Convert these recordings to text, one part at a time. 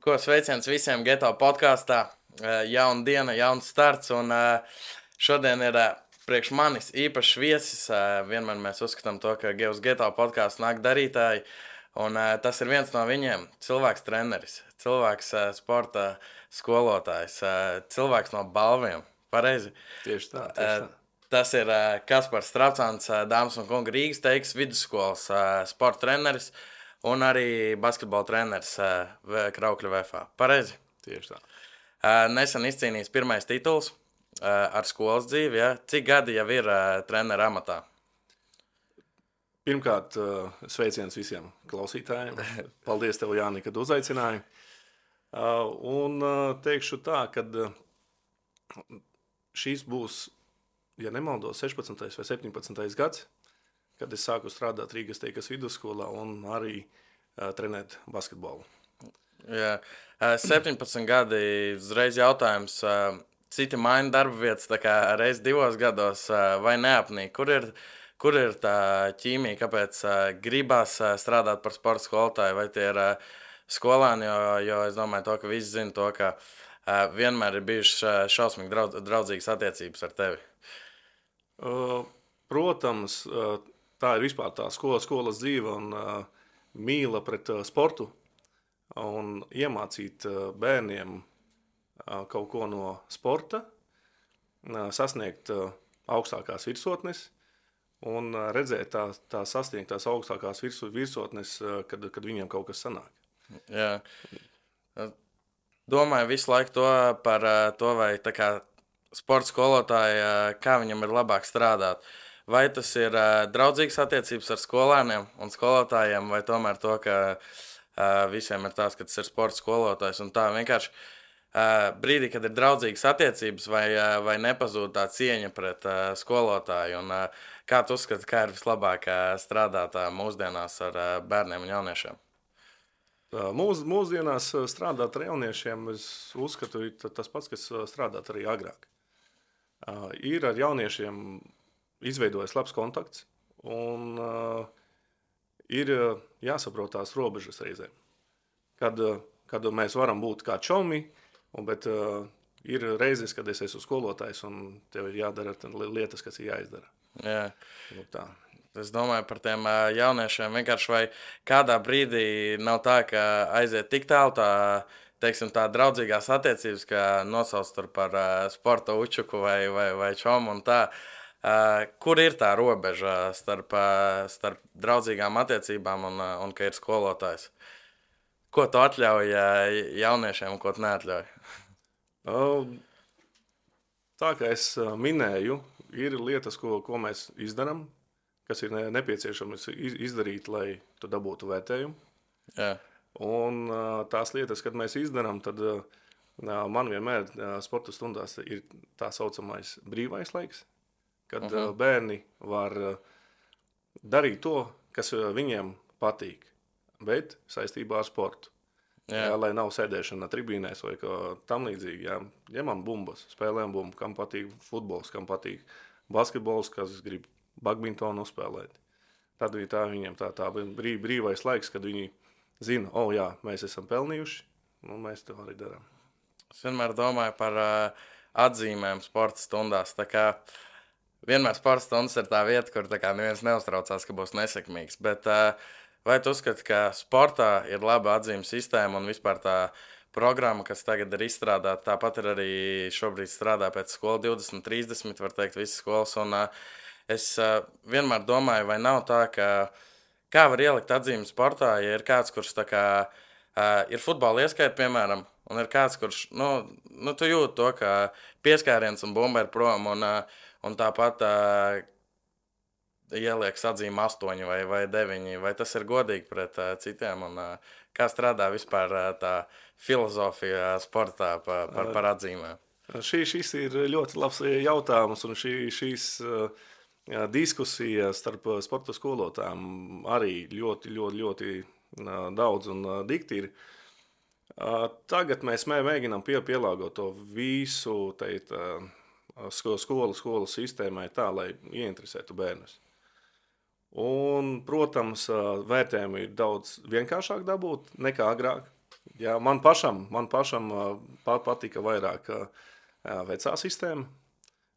Ko sveiciens visiem Geto podkāstā. Jauna diena, jauns starts. Un šodien ir priekš manis īpašs viesis. Vienmēr mēs uzskatām to, ka uz Geto podkāstu nāk darītāji. Un tas ir viens no viņiem. Cilvēks treneris, cilvēks sporta skolotājs, cilvēks no balviem. Pareizi? Tieši tā. Tas ir Kaspars Strapcāns, dāmas un kungi, Rīgas Teikas vidusskolas sporta treneris. Un arī basketbola treneris Kraukļa VFA. Pareizi? Tieši tā. Nesen izcīnījis pirmais tituls ar skolas dzīvi. Ja? Cik gadi jau ir trenera amatā? Pirmkārt, sveiciens visiem klausītājiem. Paldies tev, Jāni, kad uzaicināji. Un teikšu tā, ka šīs būs, ja nemaldos, 16. vai 17. gads, kad es sāku strādāt Rīgas Teikas vidusskolā un arī trenēt basketbolu. Jā. 17 gadi, uzreiz jautājums, citi maina darba vietas, tā kā reiz 2 gados vai neapnīk? Kur ir tā ķīmija, kāpēc gribas strādāt par sporta skolotāju, vai tie ir skolēni, jo es domāju to, ka visi zina to, ka vienmēr ir bijušas šausmīgi draudzīgas attiecības ar tevi? Protams, tā ir vispār tā skolas dzīve un mīla pret sportu un iemācīt bērniem kaut ko no sporta, sasniegt augstākās virsotnes un redzēt tā sasniegtās augstākās virsotnes, kad viņiem kaut kas sanāk. Jā. Domāju visu laiku par to, vai tā kā sporta skolotāji, kā viņam ir labāk strādāt. Vai tas ir draudzīgas attiecības ar skolēniem un skolotājiem, vai tomēr to, ka visiem ir tās, ka tas ir sporta skolotājs un tā vienkārši brīdī, kad ir draudzīgas attiecības, vai nepazūd tā cieņa pret skolotāju, un kā tu uzskati, kā ir vislabāk strādāt mūsdienās ar bērniem un jauniešiem? Mūsdienās strādāt ar jauniešiem, es uzskatu, ir tas pats, kas strādāt arī agrāk. Ir ar jauniešiem izveidojas labs kontakts, un ir jāsaprot tās robežas reizēm. Kad mēs varam būt kā čomi, bet ir reizes, kad es esmu skolotājs, un tev ir jādara lietas, kas ir jāizdara. Jā. Nu, tā. Es domāju par tiem jauniešiem vienkārši, vai kādā brīdī nav tā, ka aiziet tik tālu teiksim, tā draudzīgās attiecības, ka nosauc tur par sporta učuku vai čomu un tā. Kur ir tā robeža starp draudzīgām attiecībām un ka ir skolotājs? Ko tu atļauj jauniešiem un ko tu neatļauj? Tā kā es minēju, ir lietas, ko mēs izdarām, kas ir nepieciešams izdarīt, lai tu dabūtu vērtējumu. Jā. Un tās lietas, kad mēs izdarām, tad man vienmēr sporta stundās ir tā saucamais brīvais laiks, kad bērni var darīt to, kas viņiem patīk, bet saistībā ar sportu. Jā, lai nav sēdēšana tribīnēs vai tam līdzīgi. Jā. Ņemam bumbas, spēlējam bumbu, kam patīk futbols, kam patīk basketbols, kas grib badmintonu uzspēlēt. Tad viņiem tā brīvais laiks, kad viņi zina, jā, mēs esam pelnījuši, un mēs to arī darām. Es vienmēr domāju par atzīmēm sporta stundās. Tā kā vienmēr sporta stundas ir tā vieta, kur tā kā neviens neuztraucās, ka būs nesekmīgs. Bet vai tu uzskati, ka sportā ir laba atzīme sistēma un vispār tā programma, kas tagad ir izstrādāta, tāpat ir arī šobrīd strādā pēc skola 2030, var teikt, visas skolas. Un es vienmēr domāju, vai nav tā, ka kā var ielikt atzīmi sportā, ja ir kāds, kurš tā kā ir futbola ieskaita, piemēram, un ir kāds, kurš, tu jūti to, ka pieskāriens un bumba ir prom, un tāpat ielieks atzīmi 8 vai 9, vai tas ir godīgi pret citiem, un kā strādā vispār tā filozofija sportā par atzīmēm? Šis ir ļoti labs jautājums, un šīs diskusijas starp sporta skolotājiem arī ļoti daudz un dikti ir. Tagad mēs mēģinām pielāgot to visu skolu sistēmai tā, lai ieinteresētu bērnus. Un, protams, vērtējumi ir daudz vienkāršāk dabūt nekā agrāk. Jā, man pašam patika vairāk vecā sistēma,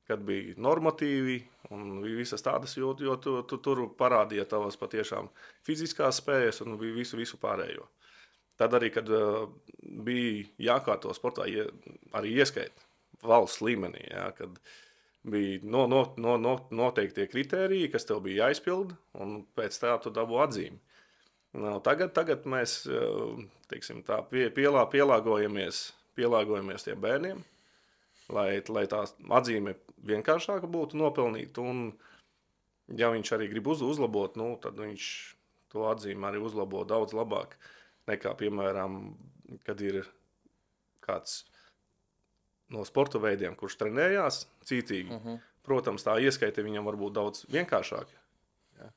kad bija normatīvi un visas tādas, jo tu tur parādīja tavas patiešām fiziskās spējas un visu pārējo. Tad arī, kad bija jākārto sportā, arī ieskait valsts līmenī, jā, kad bija noteiktie kritēriji, kas tev bija jāizpild, un pēc tā tu dabū atzīmi. Tagad mēs teiksim, tā, pielāgojamies tiem bērniem, lai tā atzīme vienkāršāka būtu nopelnīt, un ja viņš arī grib uzlabot, tad viņš to atzīmi arī uzlabo daudz labāk nekā, piemēram, kad ir kāds no sporta veidiem, kurš trenējās cītīgi. Protams, tā ieskaite viņam var būt daudz vienkāršāka. Ja?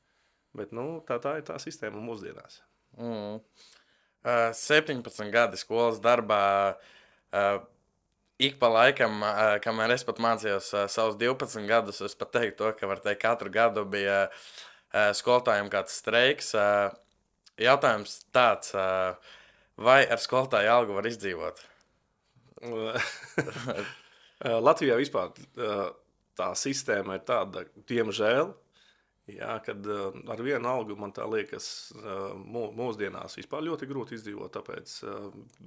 Bet tā ir tā sistēma mūsdienās. 17 gadi skolas darbā. Ik pa laikam, kamēr es pat mācījos savus 12 gadus, es pat teiktu to, ka var teikt, katru gadu bija skolotājiem kāds streiks. Jautājums tāds, vai ar skolotāju algu var izdzīvot? Latvijā vispār tā sistēma ir tāda, diemžēl, jā, kad ar vienu algu man tā liekas mūsdienās vispār ļoti grūti izdzīvot, tāpēc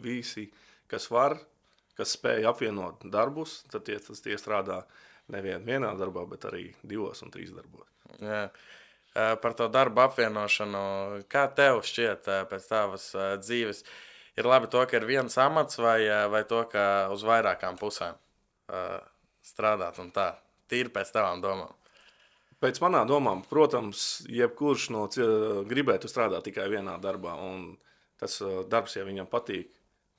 visi, kas var, kas spēj apvienot darbus, tad tie strādā nevien vienā darbā, bet arī 2 un 3 darbos. Jā. Par to darbu apvienošanu, kā tev šķiet pēc tavas dzīves? Ir labi to, ka ir viens amats vai to, ka uz vairākām pusēm strādāt un tā? Tīri pēc tavām domām. Pēc manām domām, protams, jebkurš gribētu strādāt tikai vienā darbā, un tas darbs, ja viņam patīk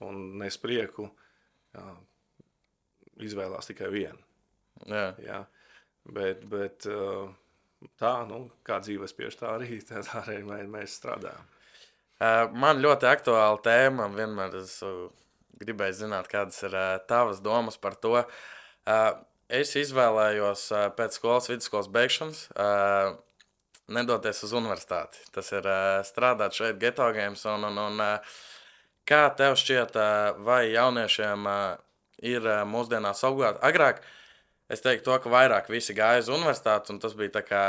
un nes prieku, izvēlās tikai vienu. Jā. Jā. Bet tā, kā dzīves spiež, tā arī mēs strādājam. Man ļoti aktuāla tēma, vienmēr es gribēju zināt, kādas ir tavas domas par to. Es izvēlējos pēc vidusskolas beigšanas nedoties uz universitāti. Tas ir strādāt šeit Geto Games. Un kā tev šķiet, vai jauniešiem ir mūsdienās obligāti? Agrāk es teiktu to, ka vairāk visi gāja uz universitāti, un tas bija tā kā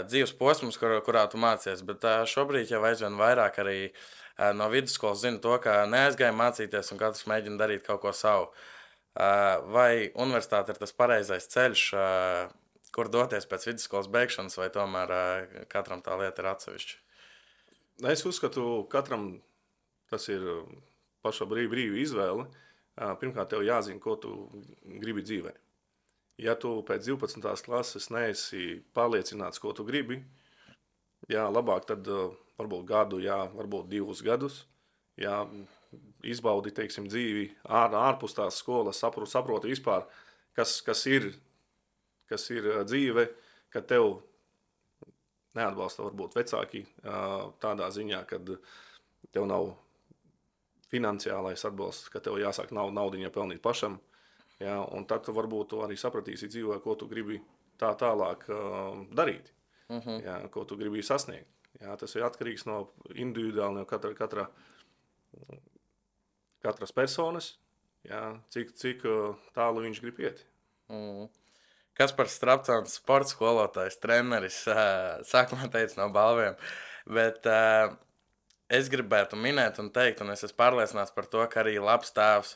dzīves posms, kurā tu mācies. Bet šobrīd jau aizvien vairāk arī no vidusskolas zina to, ka neaizgāja mācīties un katrs mēģina darīt kaut ko savu. Vai universitāte ir tas pareizais ceļš, kur doties pēc vidusskolas beigšanas, vai tomēr katram tā lieta ir atsevišķa? Es uzskatu, katram tas ir paša brīva izvēle. Pirmkārt, tev jāzina, ko tu gribi dzīvē. Ja tu pēc 12. klases neesi pārliecināts, ko tu gribi, jā, labāk tad varbūt gadu, jā, varbūt 2 gadus, jā, izbaudi, teiksim, dzīvi ārpus tās skolas, saproti vispār, kas ir dzīve, kad tev neatbalsta varbūt vecāki tādā ziņā, kad tev nav finansiālais atbalsts, ka tev jāsāk naudiņa pelnīt pašam, jā, un tad varbūt tu arī sapratīsi dzīvē, ko tu gribi tālāk darīt, jā, ko tu gribi sasniegt. Jā, tas ir atkarīgs no individuāli no katras personas, jā, cik tālu viņš grib iet. Kaspars Strapcāns, sporta skolotājs, treneris, sākumā teica no balviem, bet es gribētu minēt un teikt, un es esmu pārliecināts par to, ka arī labs tēvs.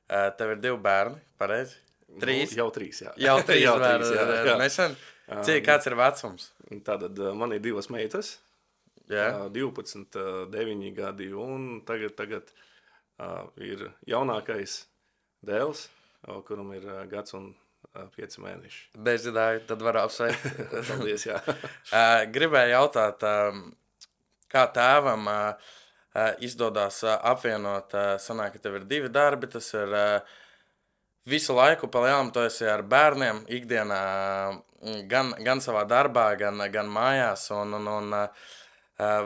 Tev ir 2 bērni, pareizi? 3? Jau 3, jā. Jau 3 bērni, jā. Nesen. Kāds ir vecums? Tātad man ir 2 meitas, jā. 12, 9 gadi, un tagad ir jaunākais dēls, kuram ir gads un 5 mēneši. Dezidāju, tad var apsveikt. Paldies, jā. Gribēju jautāt, kā tēvam izdodas apvienot, sanāk, ka tev ir 2 darbi, tas ir visu laiku pa lielam tu esi ar bērniem ikdienā, gan savā darbā, gan mājās, un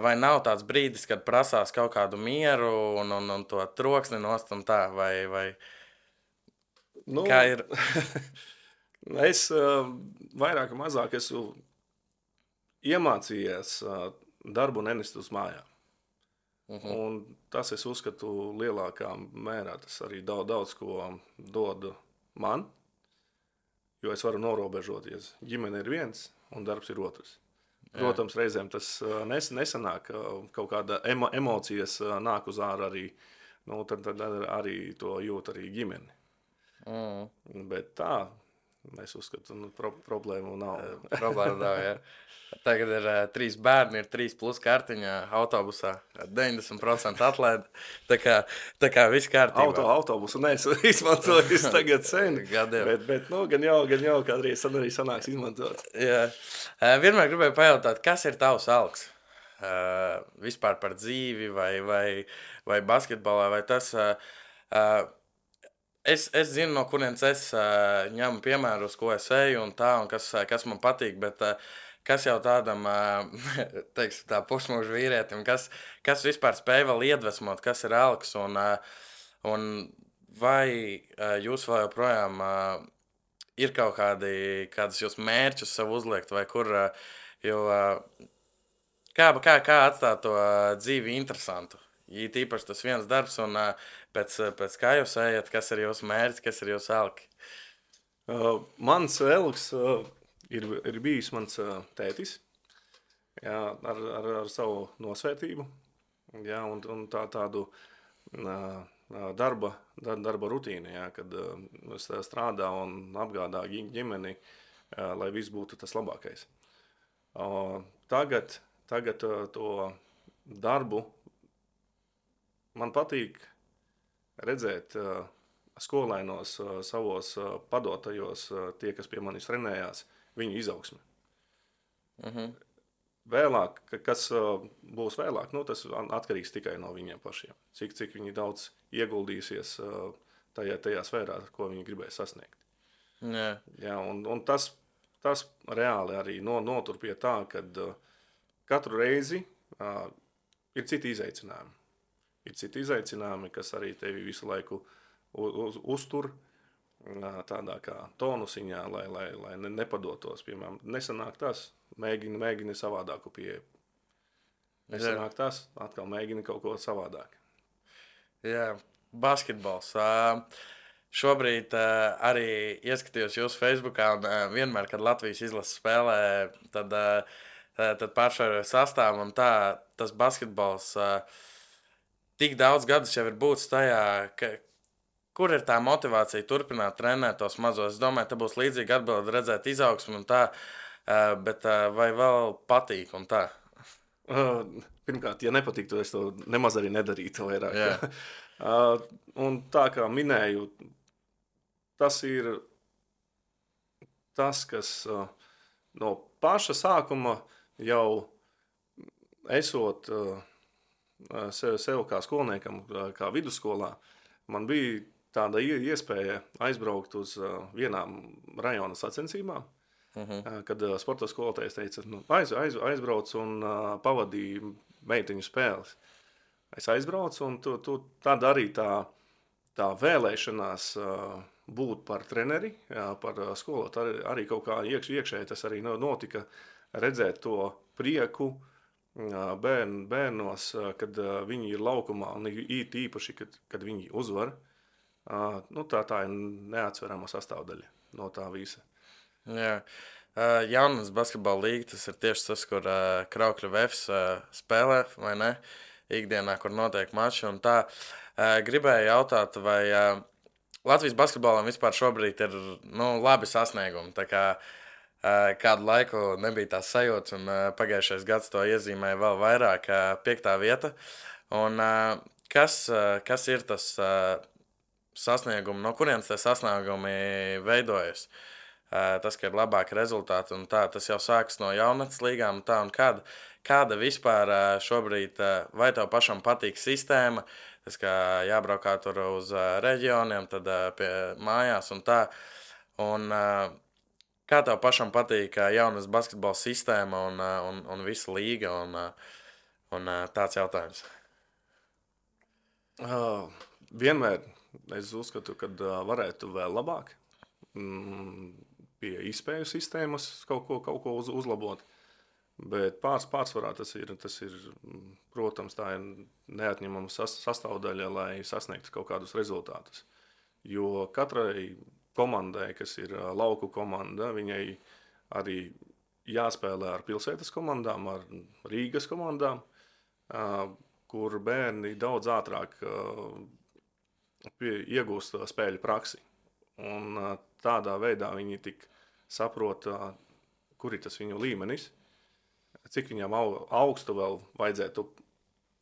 vai nav tāds brīdis, kad prasās kaut kādu mieru un to troksni nost un tā, vai kā ir? Es vairāk un mazāk esmu iemācījies darbu nenest uz mājām. Un tas, es uzskatu, lielākā mērā tas arī daudz ko dod man, jo es varu norobežoties. Ģimene ir viens un darbs ir otrs. Protams, reizēm tas nesanāk, kaut kāda emocijas nāk uz ārā arī, tad arī to jūt arī ģimeni. Bet tā, es uzskatu, problēmu nav. Problēma nav, jā. Tagad ir 3 bērni, ir 3 plus kartiņā autobusā, 90% atlaida. Tā kā viss kārtībā. Autobusu neesmu izmantojis tagad sen, Gadiem. bet gan jau kādreiz arī sanāks izmantot. Jā. Vienmēr gribēju pajautāt, kas ir tavs alks? Vispār par dzīvi vai basketbolā, vai tas... Es zinu, no kurienes es ņemu piemērus, ko es eju un tā, un kas man patīk, bet kas jau tādam, teiksim, tā pusmūžu vīrietim, kas vispār spēj vēl iedvesmot, kas ir alks, un vai jūs vēl joprojām ir kaut kādas jūs mērķus sev uzliekt, vai kur, jo kā atstāt to dzīvi interesantu? It īpaši tas viens darbs, un pēc kā jūs ejat, kas ir jūsu mērķis, kas ir jūsu alki? Mans elks ir bijis mans tētis, jā, ar savu nosvētību, jā, un tādu darba rutīnu, jā, kad es strādā un apgādā ģimeni, lai viss būtu tas labākais. Tagad to darbu man patīk redzēt skolēnos savos padotajos, tie, kas pie manis trenējās, viņu izaugsmi. Vēlāk, kas būs vēlāk, tas atkarīgs tikai no viņiem pašiem. Cik viņi daudz ieguldīsies tajā sfērā, ko viņi gribēs sasniegt. Jā, un tas reāli arī notur pie tā, kad katru reizi ir citi izaicinājumi. Ir citi izaicinājumi, kas arī tevi visu laiku uztur tādā kā tonusiņā, lai nepadotos. Piemēram, nesanāk tas, mēģini savādāku pieeju. Nesanāk tas, atkal mēģini kaut ko savādāk. Jā, basketbols. Šobrīd arī ieskatījos jūsu Facebookā, un vienmēr, kad Latvijas izlases spēlē, tad pāršāroju sastāvu, un tas basketbols... Tik daudz gadus jau ir būtis tajā, kur ir tā motivācija turpināt trenēt tos mazos. Es domāju, te būs līdzīga atbilde redzēt izaugsmi un tā, bet vai vēl patīk un tā? Pirmkārt, ja nepatīk, tad es to nemaz arī nedarītu vairāk. Un tā kā minēju, tas ir tas, kas no paša sākuma jau esot... sev kā skolniekam, kā vidusskolā, man bija tāda iespēja aizbraukt uz vienām rajona sacensībām, kad sporta skolotājs teica, aizbrauc un pavadīja meiteņu spēles. Es aizbraucu un tad arī tā vēlēšanās būt par treneri, par skolotāju, arī kaut kā iekšēji tas arī notika, redzēt to prieku, bērnos, kad viņi ir laukumā, un īpaši, kad viņi uzvar, tā ir neatsverama sastāvdaļa no tā visa. Jā. Jaunas basketbola līga, tas ir tieši tas, kur Kraukļu Vefs spēlē, vai ne? Ikdienā, kur notiek mači, un tā. Gribēju jautāt, vai Latvijas basketbolam vispār šobrīd ir, labi sasniegumi, tā kā kādu laiku nebija tās sajūtas, un pagājušais gads to iezīmēja vēl vairāk, 5. vieta. Un kas ir tas sasniegumi, no kurienes tie sasniegumi veidojas? Tas, ka ir labāki rezultāti, un tā, tas jau sākas no jaunatnes līgām, un tā, un kāda vispār šobrīd, vai tev pašam patīk sistēma, tas, ka jābraukā tur uz reģioniem, tad pie mājās, un tā, un kā tev pašam patīk jaunas basketbola sistēma un visa līga un tāds jautājums? Vienmēr es uzskatu, ka varētu vēl labāk pie izspēju sistēmas kaut ko uzlabot. Bet pārsvarā tas ir, protams, tā ir neatņemama sastāvdaļa, lai sasniegtu kaut kādus rezultātus. Jo katrai komandai, kas ir lauku komanda, viņai arī jāspēlē ar pilsētas komandām, ar Rīgas komandām, kur bērni daudz ātrāk iegūst spēļu praksi. Un tādā veidā viņi tik saprot, kur ir tas viņu līmenis, cik viņam augstu vēl vajadzētu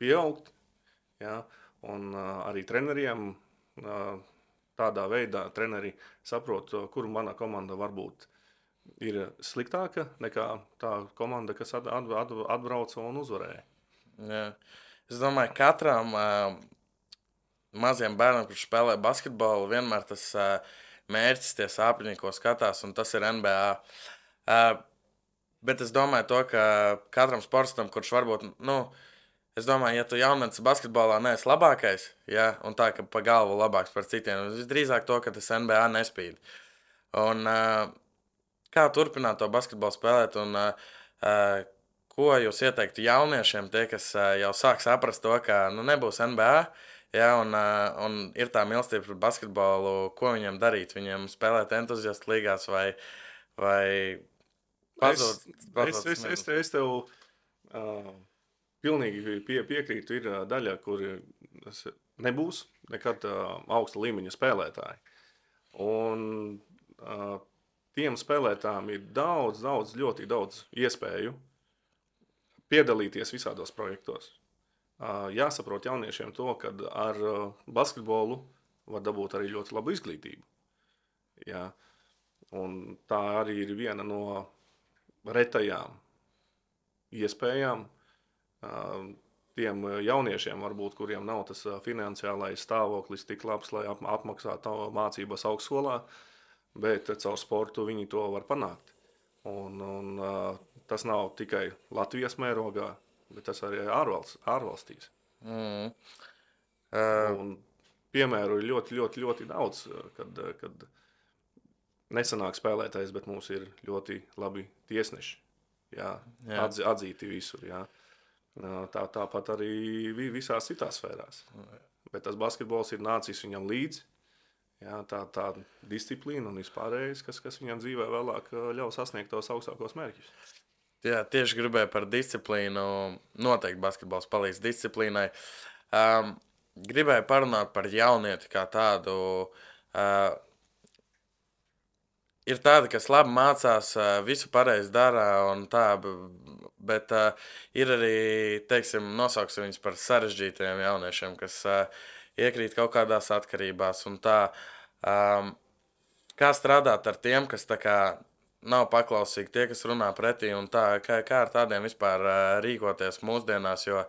pieaugt. Ja? Un arī treneriem tādā veidā treneri saprot, kur mana komanda varbūt ir sliktāka nekā tā komanda, kas atbrauca un uzvarēja. Jā. Es domāju, katram maziem bērnam, kurš spēlē basketbolu, vienmēr tas mērķis, tie sāpļi, ko skatās, un tas ir NBA. Bet es domāju to, ka katram sportistam, kurš varbūt, es domāju, ja tu jaunietis basketbolā neesi labākais, ja, un tā, ka pa galvu labāks par citiem, visdrīzāk to, ka tas NBA nespīd. Un kā turpināt to basketbolu spēlēt, un ko jūs ieteiktu jauniešiem, tie, kas jau sāk saprast to, ka nebūs NBA, ja, un ir tā mīlestība par basketbolu, ko viņiem darīt? Viņiem spēlēt entuziastu līgās vai pazūt? Es tev pilnīgi piekrītu, ir daļa, kur nebūs nekad augsta līmeņa spēlētāji. Un tiem spēlētājiem ir ļoti daudz iespēju piedalīties visādos projektos. Jāsaprot jauniešiem to, ka ar basketbolu var dabūt arī ļoti labu izglītību. Jā. Un tā arī ir viena no retajām iespējām tiem jauniešiem, varbūt, kuriem nav tas finansiālais stāvoklis tik labs, lai apmaksātu mācības augstskolā, bet caur sportu viņi to var panākt. Un tas nav tikai Latvijas mērogā, bet tas arī ārvalstīs. Un piemēru ir ļoti daudz, kad nesanāk spēlētājs, bet mums ir ļoti labi tiesneši. Jā. Atzīti visur. Jā. Tāpat arī visās citās sfērās. Bet tas basketbols ir nācis viņam līdzi. Jā, tā disciplīna un vispārējais, kas viņam dzīvē vēlāk ļaus sasniegt tos augstākos mērķus. Jā, tieši gribēju par disciplīnu. Noteikti basketbols palīdz disciplīnai. Gribēju parunāt par jaunieti kā tādu. Ir tādi, kas labi mācās, visu pareizi dara un tā, bet ir arī, teiksim, nosauksim viņus par sarežģītajiem jauniešiem, kas iekrīt kaut kādās atkarībās un tā. Kā strādāt ar tiem, kas tā kā nav paklausīgi, tie, kas runā pretī un tā, kā ar tādiem vispār rīkoties mūsdienās, jo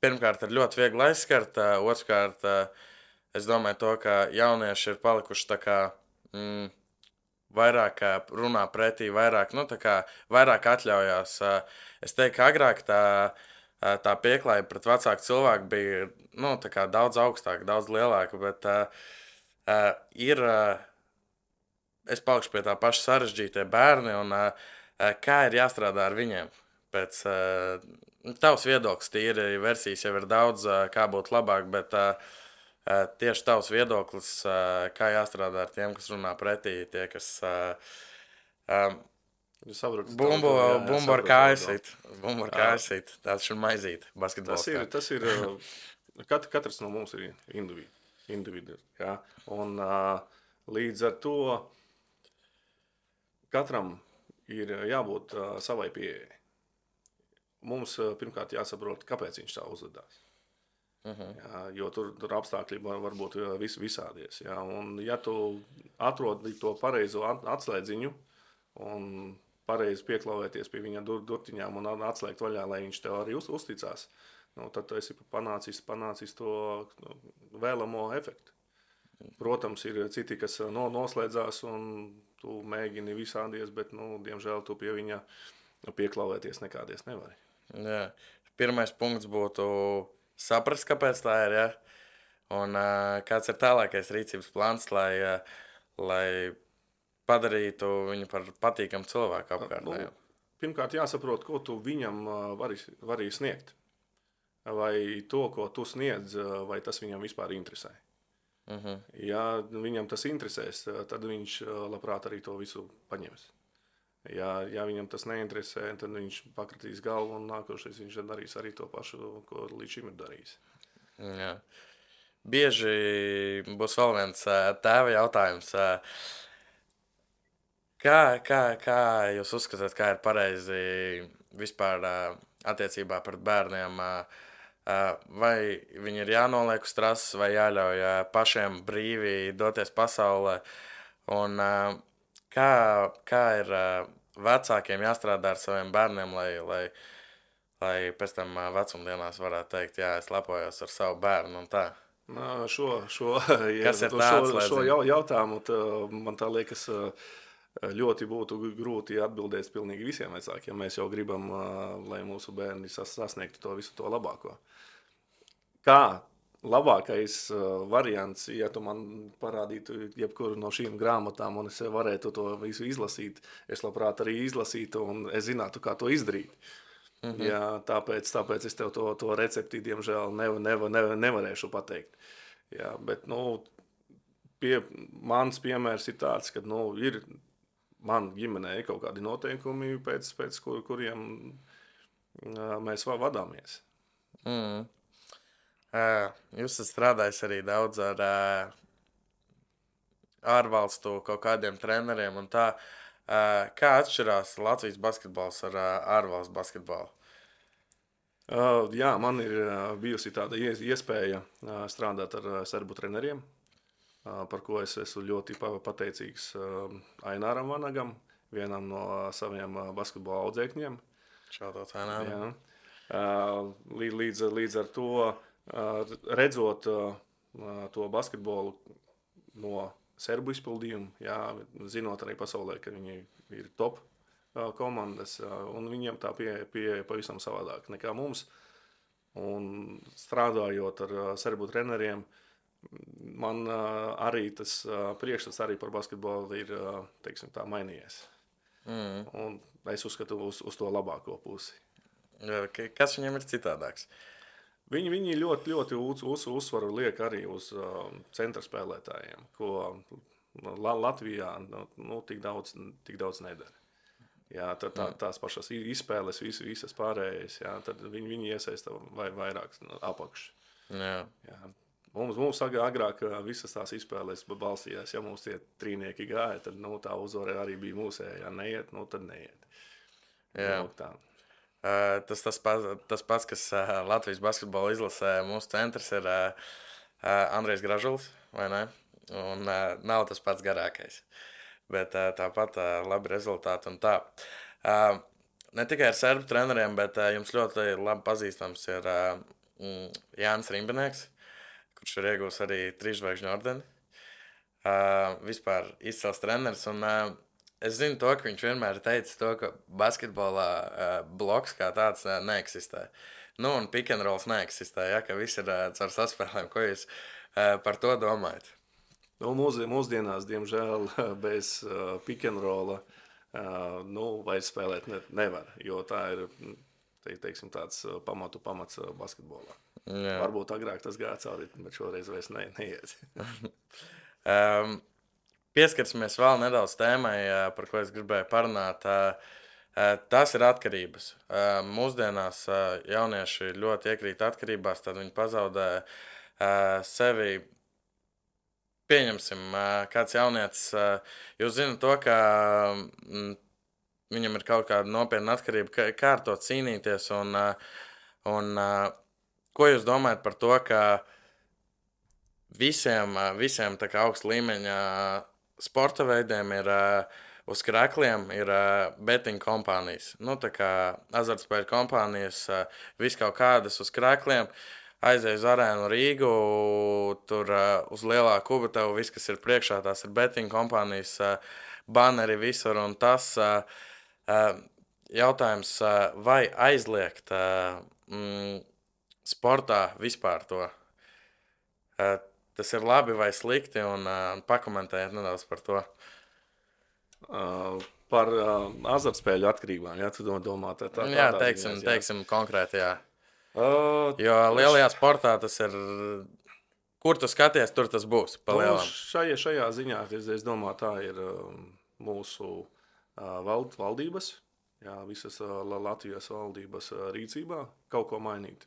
pirmkārt ir ļoti viegli aizskart, otrkārt es domāju to, ka jaunieši ir palikuši tā kā vairāk runā pretī, vairāk atļaujās. Es teiktu, ka agrāk tā pieklājība pret vecāku cilvēku bija tā kā daudz augstāka, daudz lielāka, bet es palikšu pie tā paša sarežģītie bērni un kā ir jāstrādā ar viņiem. Pēc tavs viedoklis, tīri versijas jau ir daudz, kā būtu labāk, bet tieši tavs viedoklis, kā jāstrādā ar tiem, kas runā pretī, tie, kas bumbu ar kājasīt, tāds šur maizīt basketbols. Tas ir katrs no mums ir individu, jā, un līdz ar to katram ir jābūt savai pieejai. Mums pirmkārt jāsaprot, kāpēc viņš tā uzvedās. Jā, jo tur apstākļi var būt visādies. Jā. Un ja tu atrodi to pareizo atslēdziņu un pareizi pieklauvēties pie viņa durtiņām un atslēgt vaļā, lai viņš tev arī uzticās, tad tu esi panācis to vēlamo efektu. Protams, ir citi, kas noslēdzās un tu mēģini visādies, bet, diemžēl, tu pie viņa pieklauvēties nekādies nevari. Jā. Pirmais punkts būtu saprast, kāpēc tā ir, ja? Un kāds ir tālākais rīcības plāns, lai padarītu viņu par patīkamu cilvēku apkārt. pirmkārt jāsaprot, ko tu viņam vari sniegt. Vai to, ko tu sniedz, vai tas viņam vispār interesē. Ja viņam tas interesēs, tad viņš labprāt arī to visu paņems. Ja viņam tas neinteresē, tad viņš pakratīs galvu un nākošais viņš darīs arī to pašu, ko līdz šim ir darījis. Jā. Bieži būs vēl viens tēva jautājums. Kā jūs uzskatāt, kā ir pareizi vispār attiecībā pret bērniem? Vai viņi ir jānoliek uz trases, vai jāļauj pašiem brīvi doties pasaulē? Un kā ir vecākiem jāstrādā ar saviem bērniem, lai pēc tam vecumdienās varētu teikt, jā, es lepojos ar savu bērnu un tā? Šo jautājumu man tā liekas ļoti būtu grūti atbildēt pilnīgi visiem vecākiem. Mēs jau gribam, lai mūsu bērni sasniegtu to visu to labāko. Kā labākais variants, ja tu man parādītu jebkuru no šīm grāmatām un es varētu to visu izlasīt, es labprāt arī izlasītu un es zinātu, kā to izdarīt. Jā, tāpēc es tev to recepti, diemžēl, nevarēšu pateikt. Jā, bet, mans piemērs ir tāds, ka, ir man ģimenē ir kaut kādi noteikumi, pēc kuriem mēs vadāmies. Jūs esat strādājis arī daudz ar ārvalstu kaut kādiem treneriem un tā. Kā atšķirās Latvijas basketbols ar ārvalstu basketbolu? Jā, man ir bijusi tāda iespēja strādāt ar serbu treneriem, par ko es esmu ļoti pateicīgs Aināram Vanagam, vienam no saviem basketbola audzēkņiem. Šādot Aināram. Līdz ar to, redzot to basketbolu no serbu izpildījumu, jā, zinot arī pasaulē, ka viņi ir top komandas, un viņiem tā pieeja pavisam savādāk nekā mums. Un strādājot ar serbu treneriem, man arī tas priekšstats arī par basketbolu ir, teiksim tā, mainījies. Un es uzskatu uz to labāko pusi. Kas viņiem ir citādāks? Viņi ļoti uzsvaru liek arī uz centra spēlētājiem, ko Latvijā tik daudz nedara. Jā, tās pašas izspēles, visas pārējais, jā, tad viņi iesaista vairāk apakš. Jā. Jā. Mums agrāk visas tās izspēles balstījās, ja mums tie trīnieki gāja, tad tā uzvara arī bija mūsējā, ja neiet, tad neiet. Jā. Tas pats, kas Latvijas basketbola izlasē, mūsu centrs ir Andrejs Gražulis, vai ne? Un nav tas pats garākais. Bet tāpat labi rezultāti un tā. Ne tikai ar serbu treneriem, bet jums ļoti labi pazīstams ir Jānis Rimbinieks, kurš ir iegūs arī 3 zvaigžņu ordeni. Vispār izcils treneris. Un es zinu to, ka viņš vienmēr teica to, ka basketbolā bloks kā tāds neeksistē. Un pick and rolls neeksistē, ja, ka viss ir caur saspēlēm. Ko jūs par to domājat? Mūsdienās, diemžēl, bez pick and rolla vairs spēlēt nevar, jo tā ir, teiksim, tāds pamats basketbolā. Jā. Varbūt agrāk tas gāja cauri, bet šoreiz vairs neiet. Pieskarsimies vēl nedaudz tēmai, par ko es gribēju parunāt. Tas ir atkarības. Mūsdienās jaunieši ļoti iekrīt atkarībās, tad viņi pazaudē sevi. Pieņemsim, kāds jaunietis, jūs zināt to, ka viņam ir kaut kāda nopietna atkarība, kā ar to cīnīties, un ko jūs domājat par to, ka visiem tā kā augsta līmeņa sporta veidiem ir uz krekļiem ir betting kompānijas, tā kā azartspēļu kompānijas, viss kaut kādas uz krekļiem. Aizēju uz arēnu Rīgu, tur uz lielā kuba tev viss, kas ir priekšā, tās ir betting kompānijas, banneri visur, un tas jautājums, vai aizliegt sportā vispār to. Tas ir labi vai slikti, un pakomentējiet nedaudz par to. par azartspēļu atkarībām, ja tu domā, Jā, tādā teiksim konkrēti, jā. Uh, Jo lielajā sportā tas ir, kur tu skaties, tur tas būs, pa lielam. Šajā ziņā, es domāju, tā ir mūsu valdības, jā, visas Latvijas valdības rīcībā kaut ko mainīt.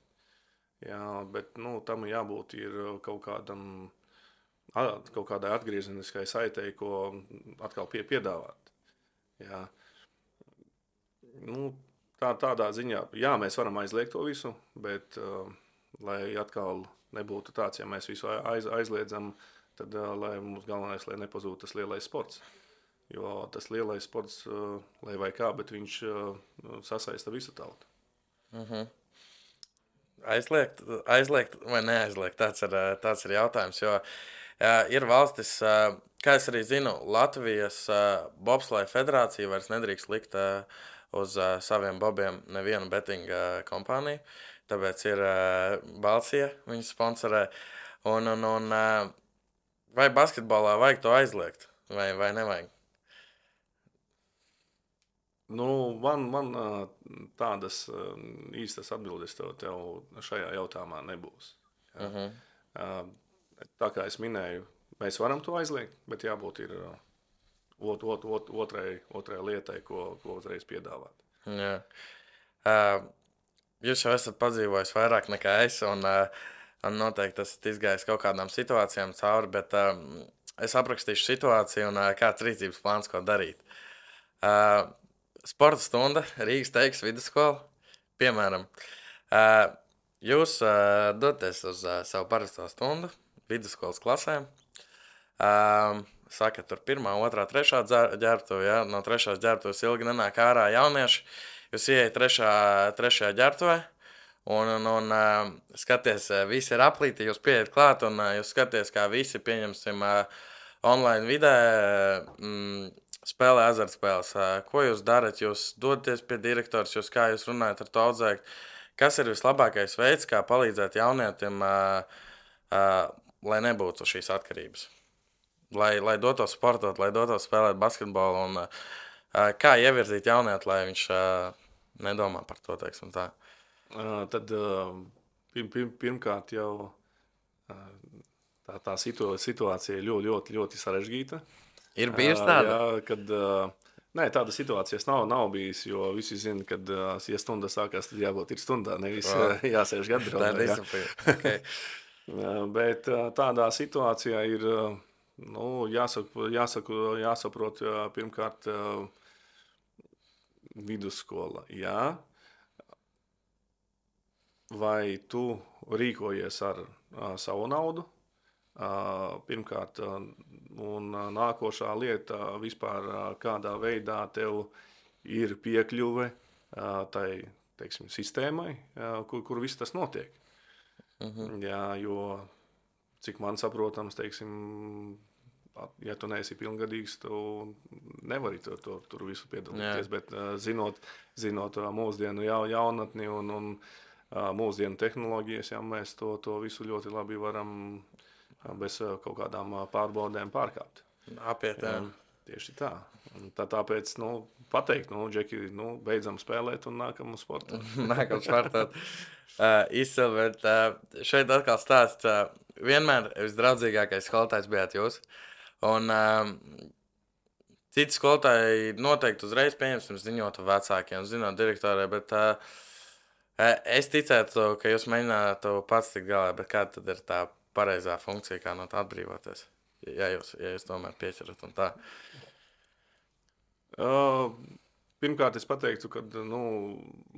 Jā, bet, tam jābūt ir kaut kādai atgriezeniskai saitei, ko atkal piedāvāt. Jā. Tādā ziņā, jā, mēs varam aizliegt to visu, bet, lai atkal nebūtu tāds, ja mēs visu aizliedzam, tad, lai mums galvenais, lai nepazūtu tas lielais sports. Jo tas lielais sports, lai vai kā, bet viņš sasaista visu tautu. Aizliegt vai neaizliegt, tāds ir jautājums, jo ir valstis, kā es arī zinu, Latvijas bobsleja federācija vairs nedrīkst likt uz saviem bobiem nevienu bettinga kompāniju, tāpēc ir Balsija, viņu sponsorē, un vai basketbolā vajag to aizliegt, vai nevajag? Man tādas īstas atbildes tev šajā jautājumā nebūs. Tā kā es minēju, mēs varam to aizliegt, bet jābūt ir otrai lietai, ko uzreiz piedāvāt. Jā. Jūs jau esat padzīvojis vairāk nekā es, un noteikti esat izgājis kaut kādām situācijām cauri, bet es aprakstīšu situāciju un kāds rīcības plāns, ko darīt. Sporta stunda, Rīgas Teikas vidusskola, piemēram. Jūs doties uz savu parasto stundu, vidusskolas klasēm, saka, tur 1., 2., 3. ģērbtuve, ja? No 3. ģērbtuves ilgi nenāk ārā jaunieši, jūs ieiet 3. ģērbtuvē, un skaties, visi ir aplīti, jūs pieiet klāt, un jūs skaties, kā visi, pieņemsim, online vidē, spēlē azartspēles. Ko jūs darat? Jūs dodaties pie direktors, kā jūs runājat ar to audzēkni? Kas ir vislabākais veids, kā palīdzēt jaunietim, lai nebūtu šīs atkarības? Lai dotos sportot, lai dotos spēlēt basketbolu, un kā ievirzīt jaunieti, lai viņš nedomā par to, teiksim tā? Tad pirmkārt jau tā situācija ir ļoti sarežģīta. Ir bijis tāda? Jā, kad nē, tāda situācijas nav bijis, jo visi zina, kad ja stunda sākās, tad jābūt ir stundā, nevis jāsēž gadrā. Tā ir disciplīna. Okay. Bet tādā situācijā ir jāsaprot pirmkārt vidusskola. Jā. Vai tu rīkojies ar savu naudu? Pirmkārt, un nākošā lieta vispār kādā veidā tev ir piekļuve tai, teiksim, sistēmai, kur viss tas notiek. Jā, jo, cik man saprotams, teiksim, ja tu neesi pilngadīgs, tu nevari tur visu piedalīties, bet zinot mūsdienu jaunatni un mūsdienu tehnoloģijas, ja mēs to visu ļoti labi varam bez kaut kādām pārbaudēm pārkāpt. Apiet, jā. Tieši tā. Tāpēc, pateikt, Džeki, beidzam spēlēt un nākam uz sportu. Nākam sportot. Izcili, bet šeit atkal stāsts. Vienmēr visdraudzīgākais skolotājs bijāt jūs. Un citi skolotāji noteikti uzreiz pieņemsim ziņotu vecākiem, zinot direktorē, bet es ticētu, ka jūs mēģinātu pats tikt galā, bet kāda tad ir tā pareizā funkcija, kā no tā atbrīvoties, ja jūs tomēr pieķerat un tā? Pirmkārt, es pateiktu, ka,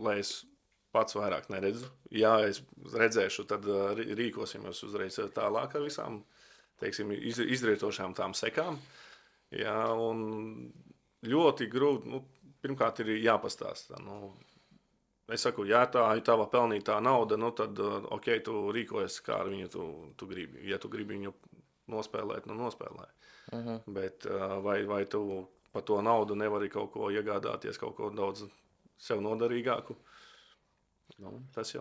lai es pats vairāk neredzu, ja es redzēšu, tad rīkosimies uzreiz tālāk ar visām, teiksim, izrietošām tām sekām. Jā, un ļoti grūti, pirmkārt ir jāpastāsta, Es saku, ja tā ir tava pelnītā nauda, tad, ok, tu rīkojies, kā ar viņu tu gribi. Ja tu gribi viņu nospēlēt, nospēlē. Bet vai tu par to naudu nevari kaut ko iegādāties, kaut ko daudz sev noderīgāku? Tas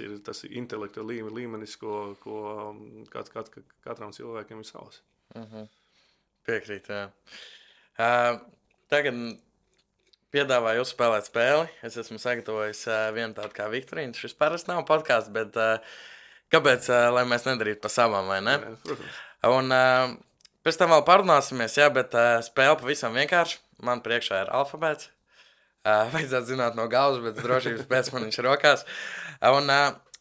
ir intelekta līmenis, ko katram cilvēkam ir savs. Piekrīt, jā. tagad piedāvāju uzspēlēt spēli. Es esmu sagatavojis vienu tādu kā Viktorīnu. Šis parasti nav podkāsts, bet kāpēc, lai mēs nedarītu pa savām, vai ne? Jā, protams. Un pēc tam vēl parunāsimies, jā, bet spēle pavisam vienkārši. Man priekšā ir alfabēts. Vajadzētu zināt no galvas, bet drošības pēc man viņš ir rokās. Un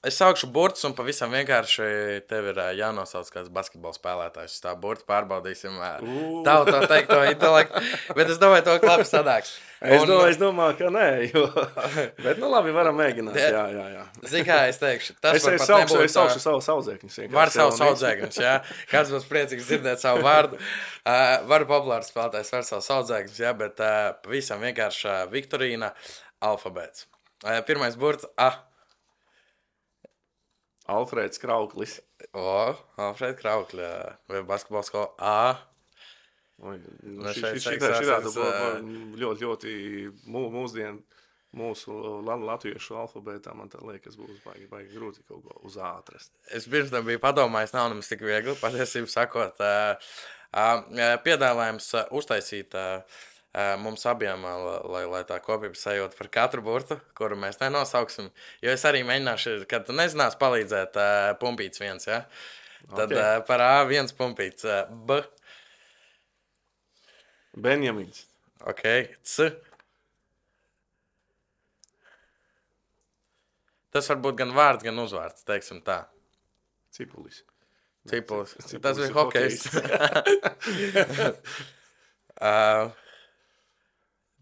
es saukšu burtus un pavisam vienkārši tev ir jānosauc kāds basketbola spēlētājs. Tā burtu pārbaudīsim tavu to teikto intelektu, bet es domāju, to labi sadāks. Es domāju, ka nē, jo... Bet, labi, varam mēģināt, jā. Zini, kā es teikšu? Es saukšu savu saudzēkņus. Var savu saudzēkņus, jā. Kāds būs priecīgs dzirdēt savu vārdu. Varu populārs spēlētājs var savu saudzēkņus, jā, bet pavisam vienkārši Viktorīna alfabēts. Pirmais burts A. Alfrēds Krauklis. Alfrēds Krauklis. Vai basketbola skola A. Ļoti mūsdienu mūsu latviešu alfabētā man tā liekas būs baigi grūti kaut ko uz A atrast. Es pirms tam biju padomājis, nav nemaz tik viegli, patiesību sakot. Piedāvājums uztaisīt mums abiem, lai tā kopības sajūta par katru burtu, kuru mēs nenosauksim. Jo es arī mēģināšu, kad tu nezinās palīdzēt pumpīts viens, ja? Tad par A viens pumpīts. B. Benjamins. Ok. C. Tas var būt gan vārds, gan uzvārds, teiksim tā. Cipulis. Tas bija hokejs.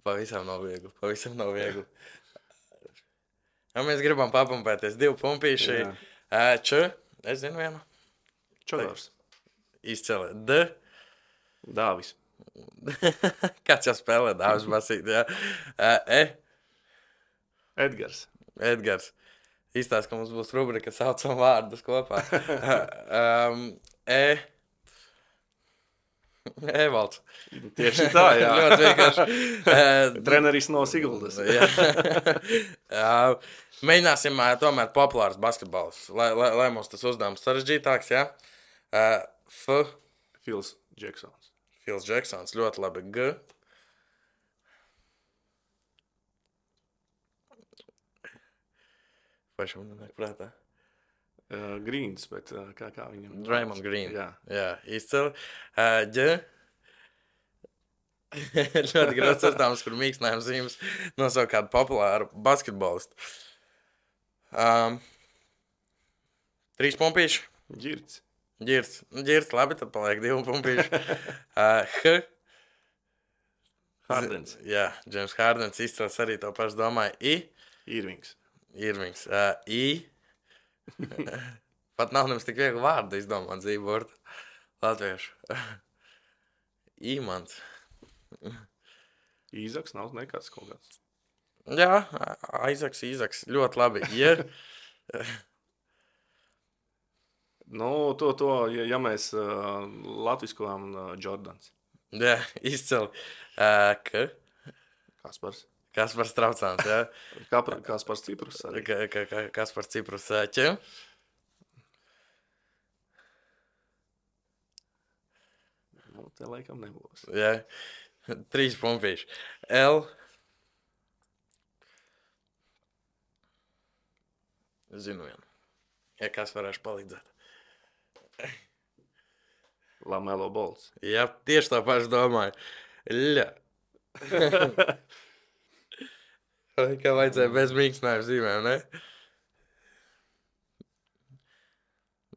Pavisam nav viegli. Ja mēs gribam papumpēties 2 pumpīši. Č. Es zinu vienu. Čodors. Izceli. D. Dāvis. Kāds jau spēlē Dāvis basīt, jā. E. Edgars. Izstāst, ka mums būs rubrika saucam vārdus kopā. E. Evalds. Tieši tā, jā. Ļoti vienkārši. Treneris no Siguldas. Mēģināsim tomēr populārs basketbols, lai mums tas uzdevums sarežģītāks, jā. F. Phils Jacksons. Ļoti labi. G. Pašam nenāk prātā. Greens, bet kā viņam? Draymond Green. Jā, izcili. Ģ. Ļoti grūts uzdevums, kur mīkstinājums zīmes nosaukt kādu populāru basketbolistu. 3 pumpīši. Ģirts, labi, tad paliek 2 pumpīši. H. Hardens. Jā, James Hardens izcils arī to pašu domāju. I. Irvings. I. Pat nav nemaz tik viegli vārdu izdomāt dzīvot latviešu. Īmants. Īzaks nav nekāds kaut kāds. Jā, Aizaks. Ļoti labi. Ja mēs latviskojām Jordans. Jā, izcili. K. Kaspars Traucāns, jā. Kaspars Ciprus arī. Kaspars Ciprus. Ķ. Te laikam nebūs. Jā. 3 pumpīši. L. Zinu vienu. Ja kas varēšu palīdzēt. Lamelo Balls. Jā, tieši tā pašu domāju. Ļa. Kā vajadzēja bez mīkstinājuma zīmēm, ne?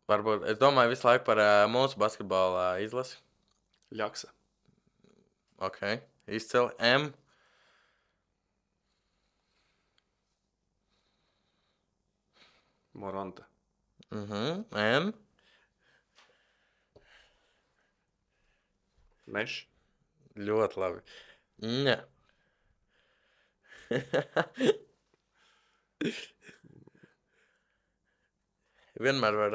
Varbūt, es domāju visu laiku par mūsu basketbola izlasi. Ļaksa. Ok, izceli. M. Moranta. M. Meš. Ļoti labi. Ņa. Vienmēr var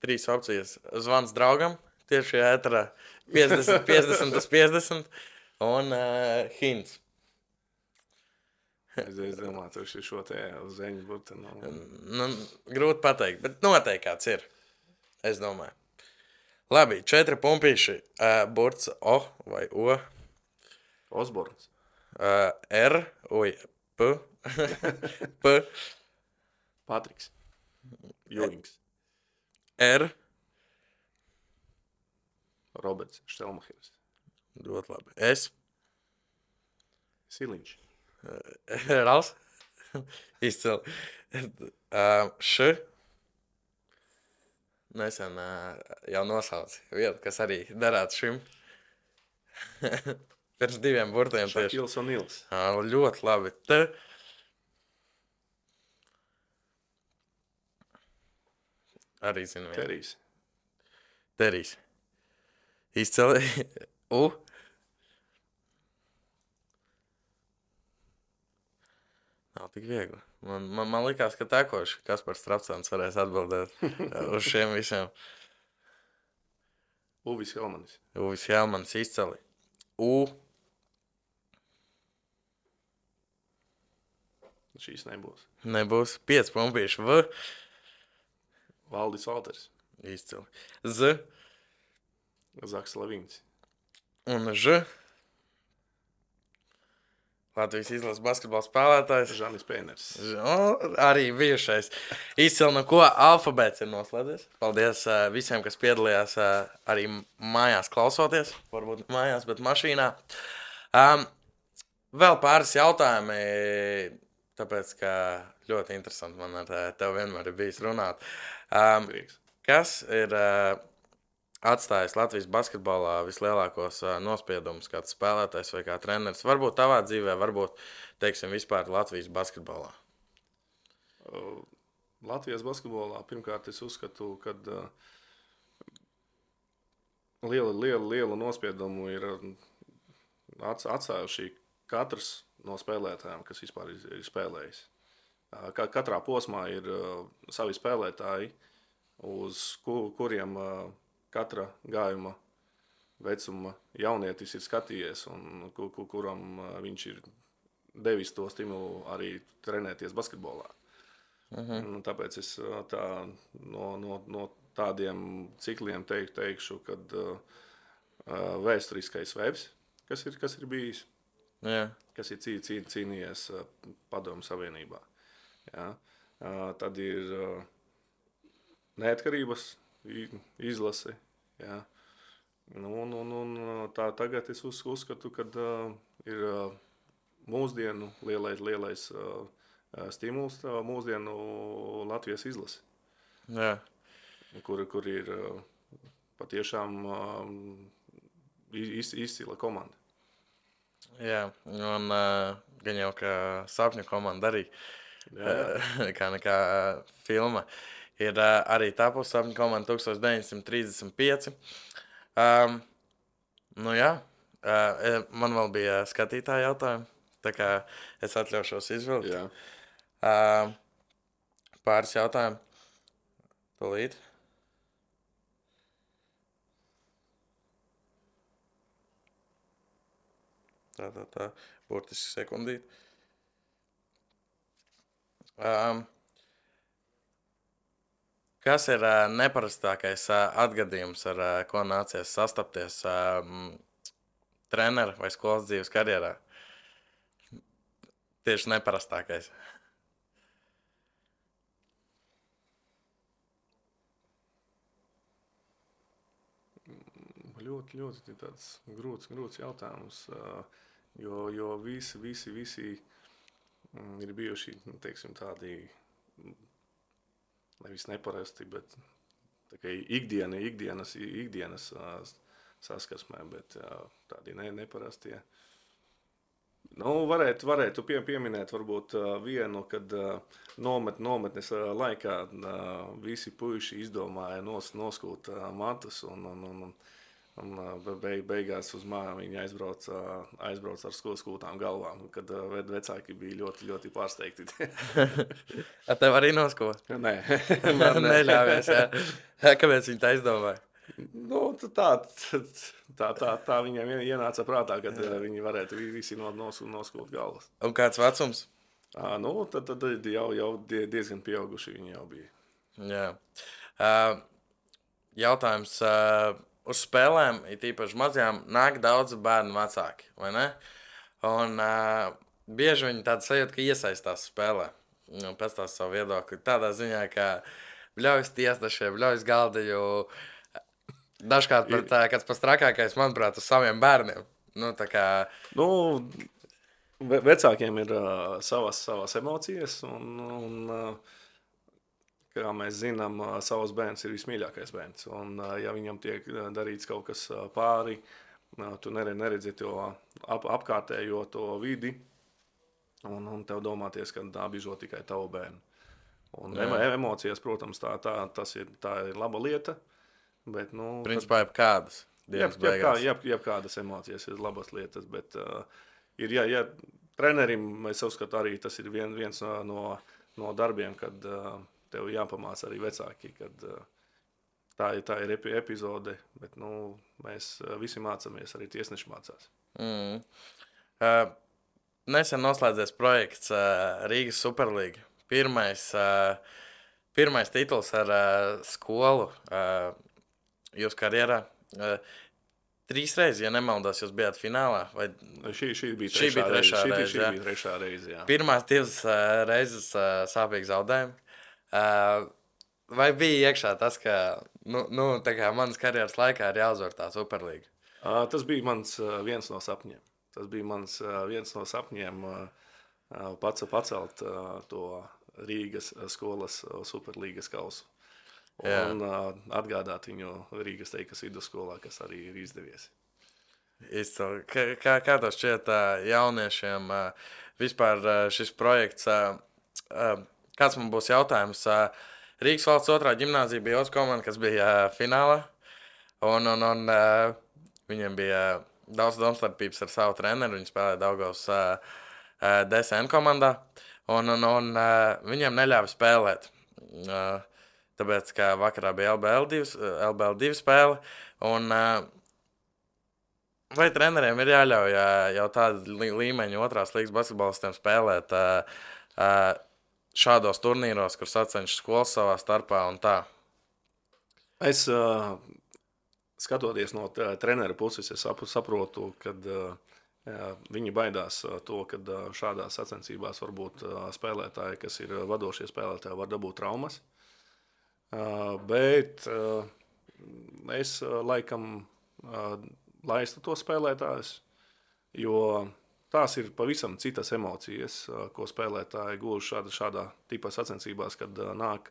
3 opcijas. Zvans draugam, tieši ēterā 50 un hints. Es domāju, ka šo te zeņu būtu. Grūti pateikt, bet noteikti kāds ir. Es domāju. Labi, 4 pumpīši. Burts O vai O. Osborns. P, Patriks. Jūings. R. Roberts Štelmacheris. Ļoti labi. S. Siliņš. Rals. Izcili. Š. Nesen jau nosauc vietu, kas arī darētu šim. Pirms 2 burtiem tieši. Šakils un Nils. Ļoti labi. T. Arī zinu vietu. Terijs. Terijs. Izcili. U. Nav tik viegli. Man likās, ka tekoši Kaspars Strapcāns varēs atbildēt uz šiem visiem. Uvis Helmanis. Uvis Helmanis izcili. U. Šīs nebūs. Nebūs. 5 pumpīši. V. Valdis Valters. Izcili. Z. Zaks Lavīns. Un Ž. Latvijas izlases basketbola spēlētājs. Žanis Pēners. Arī bijušais. Izcili, no ko alfabēts ir noslēdzies. Paldies visiem, kas piedalījās arī mājās klausoties. Varbūt mājās, bet mašīnā. Vēl pāris jautājumi, tāpēc, ka ļoti interesanti man ar tevi vienmēr ir bijis runāt. Prieks. Kas ir atstājis Latvijas basketbolā vislielākos nospiedumus, kāds spēlētājs vai kā treneris? Varbūt tavā dzīvē, varbūt, teiksim, vispār Latvijas basketbolā. Latvijas basketbolā pirmkārt es uzskatu, ka lielu nospiedumu ir atstājuši katrs no spēlētājiem, kas vispār ir spēlējis. Katrā posmā ir savi spēlētāji, uz kuriem katra gājuma vecuma jaunietis ir skatījies un kuram viņš ir devis to stimulu arī trenēties basketbolā. Tāpēc es no tādiem cikliem teikšu, kad vēsturiskais webs, kas ir bijis, kas ir cīnījies Padomju Savienībā. Ja? Tad ir neatkarības izlase. Ja. Tagad es uzskatu, ka ir mūsdienu lielais stimuls mūsdienu Latvijas izlase. Jā. Kur ir patiešām izcila komanda. Jā, un gan jau kā sapņu komanda arī, kā filma. Ir arī tapusi sapņu komanda 1935. Man vēl bija skatītāja jautājumi, tā kā es atļaušos izvilkt. Pāris jautājumu. Tūlīt. Tā. Burtiski sekundīt. Kas ir neparastākais atgadījums, ar ko nācies sastapties trenera vai skolas dzīves karjerā? Tieši neparastākais. Ļoti tāds grūts jautājums, jo visi ir bijuši, teiksim, tādi nevis neparasti, bet ikdienas saskarsmē, bet tādi neparastie. Varētu pieminēt varbūt vienu, kad nometnes laikā visi puiši izdomāja noskūt matus un beigās uz mājām viņi aizbrauc ar skūtām galvām, kad vecāki bija ļoti, ļoti pārsteigti. Tev arī nosko? Nē. Man neļāvies, jā. Kāpēc viņi tā izdomāja? Tā viņiem ienāca prātā, kad viņi varētu visi noskūt galvas. Un kāds vecums? Tad jau diezgan pieauguši viņi jau bija. Jā. Jautājums... Uz spēlēm, it īpaši mazajām, nāk daudz bērnu vecāki, vai ne? Un bieži viņi tādu sajūtu, ka iesaistās spēlē. Nu, pēc tās savu viedokli. Tādā ziņā, ka bļaujas tiesnešiem, bļaujas galdiņu. Dažkārt pat kāds pats trakākais, manuprāt, uz saviem bērniem. Nu, tā kā... Nu, vecākiem ir savas emocijas, un kā mēs zinām, savs bērns ir vismīļākais bērns. Un, ja viņam tiek darīts kaut kas pāri, tu neredzi to apkārtējo to vidi, un tev domāties, ka tā bižo tikai tavu bērnu. Un emocijas, protams, tā ir laba lieta, bet, nu... Principā jebkādas. Jebkādas emocijas ir labas lietas, bet ja trenerim, es uzskatu, arī tas ir viens no darbiem, kad tev jāpamāca arī vecāki, kad tā ir epizode, bet, nu, mēs visi mācāmies, arī tiesneši mācās. Nesen noslēdzies projekts Rīgas Superlīga. Pirmais tituls ar skolu jūsu karjerā. 3 reizes, ja nemaldos, jūs bijāt finālā. Vai... Šī bija trešā reize. Jā. Pirmās 2 reizes sāpīgi zaudējumi. Vai bija iekšā tas, ka tā kā manas karjeras laikā ir jāuzvar tā Superlīga? Tas bija mans viens no sapņiem. Pacelt to Rīgas skolas Superlīgas kausu. Un atgādāt viņu Rīgas Teikas vidusskolā, kas arī ir izdevies. Izcili. Kā tas šķiet jauniešiem vispār šis projekts? Kāds man būs jautājums? Rīgas valsts 2. ģimnāzija bija otrs komanda, kas bija finālā. Un viņiem bija daudz domstarpības ar savu treneru. Viņi spēlēja Daugavas DSN komandā. Un viņiem neļāva spēlēt. Tāpēc, ka vakarā bija LBL2 spēle, un vai treneriem ir jāļauj jau tādu līmeņu 2. līgas basketbolistiem spēlēt šādos turnīros, kur sacenšas skolas savā starpā un tā? Es skatoties no trenera puses, es saprotu, kad viņi baidās to, kad šādās sacensībās varbūt spēlētāji, kas ir vadošie spēlētāji, var dabūt traumas. Bet es laikam laistu to spēlētājus, jo tās ir pavisam citas emocijas, ko spēlētāji gūž šādā tipā sacensībās, kad nāk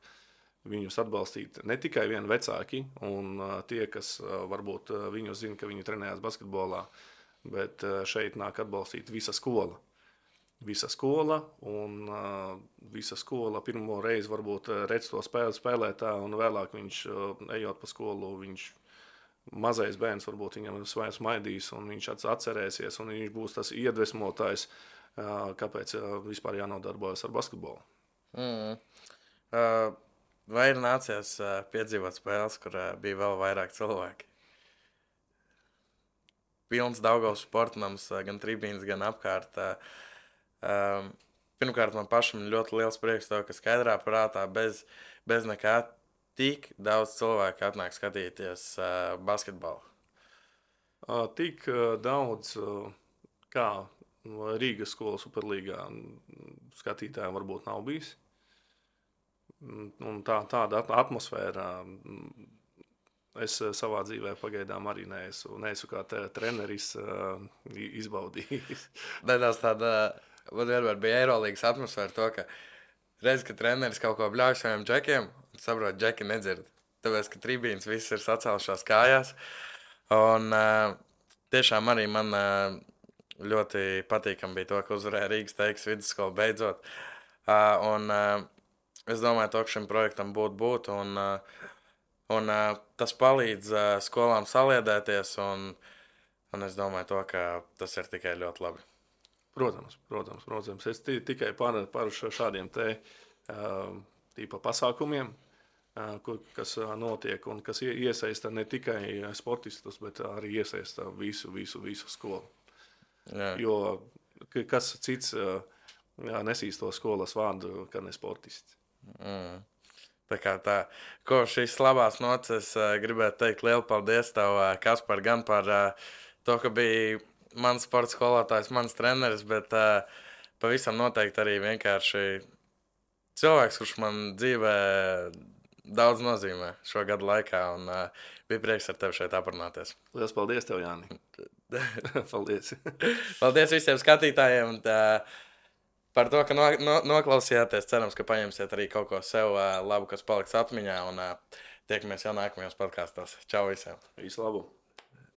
viņus atbalstīt ne tikai vien vecāki un tie, kas varbūt viņu zina, ka viņi trenējās basketbolā, bet šeit nāk atbalstīt visa skola. Visa skola pirmo reizi varbūt redz to spēlētā, un vēlāk viņš, ejot pa skolu, mazais bērns varbūt viņam smaidīs, un viņš atcerēsies, un viņš būs tas iedvesmotājs, kāpēc vispār jānodarbojas ar basketbolu. Vai ir nācies piedzīvot spēles, kur bija vēl vairāk cilvēki? Pilns Daugavas sportnams, gan tribīns, gan apkārt. Pirmkārt, man pašam ļoti liels prieks to, ka skaidrā prātā bez nekā tik daudz cilvēku atnāk skatīties basketbolu. Tik daudz, kā Rīgas skolas Superlīgā skatītājiem varbūt nav bijis. Un tāda atmosfēra es savā dzīvē pagaidām arī neesmu kā treneris izbaudījis. Nedaudz tāda... Man vienmēr bija Eirolīgas atmosfēra to, ka reiz, kad treneris kaut ko bļauj saviem džekiem, saprot, džeki nedzird. Tāpēc, ka tribīns viss ir sacēlušās kājās. Un tiešām arī man ļoti patīkam bija to, ka uzvarēja Rīgas Teikas vidusskola beidzot. Un es domāju, ka šim projektam būtu. Un tas palīdz skolām saliedēties. Un es domāju to, ka tas ir tikai ļoti labi. Protams. Es tikai par šādiem tīpa pasākumiem, kas notiek un kas iesaista ne tikai sportistus, bet arī iesaista visu skolu. Jā. Jo kas cits nesīs to skolas vārdu, kā ne sportists. Tā. Ko šīs labās noces gribētu teikt lielu paldies tev, Kaspar, gan par to, ka bija mans sporta skolotājs, mans treneris, bet pavisam noteikti arī vienkārši cilvēks, kurš man dzīvē daudz nozīmē šo gadu laikā, un bija prieks ar tevi šeit aprunāties. Lielas paldies tev, Jāni. Paldies. Paldies visiem skatītājiem, un par to, ka noklausījāties. Cerams, ka paņemsiet arī kaut ko sev labu, kas paliks atmiņā, un tiekamies jau nākamajos podkastos. Čau visiem! Visu labu!